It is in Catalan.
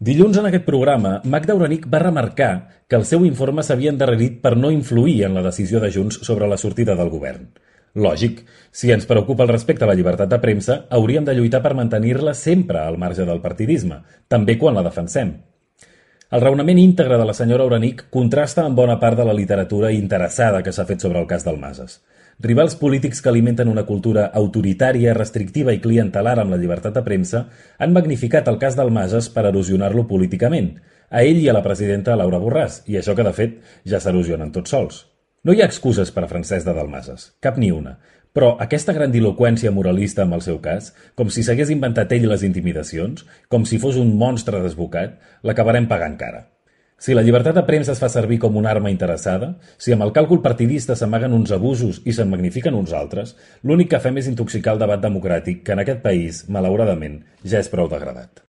Dilluns en aquest programa, Magda Orenic va remarcar que el seu informe s'havia endarrerit per no influir en la decisió de Junts sobre la sortida del govern. Lògic, si ens preocupa el respecte a la llibertat de premsa, hauríem de lluitar per mantenir-la sempre al marge del partidisme, també quan la defensem. El raonament íntegre de la senyora Orenic contrasta amb bona part de la literatura interessada que s'ha fet sobre el cas Dalmases. Rivals polítics que alimenten una cultura autoritària, restrictiva i clientelar amb la llibertat de premsa han magnificat el cas Dalmases per erosionar-lo políticament, a ell i a la presidenta Laura Borràs, i això que de fet ja s'erosionen tots sols. No hi ha excuses per a Francesc de Dalmases, cap ni una, però aquesta grandiloqüència moralista amb el seu cas, com si s'hagués inventat ell les intimidacions, com si fos un monstre desbocat, l'acabarem pagant cara. Si la llibertat de premsa es fa servir com una arma interessada, si amb el càlcul partidista s'amaguen uns abusos i se'n magnifiquen uns altres, l'únic que fem és intoxicar el debat democràtic que en aquest país, malauradament, ja és prou degradat.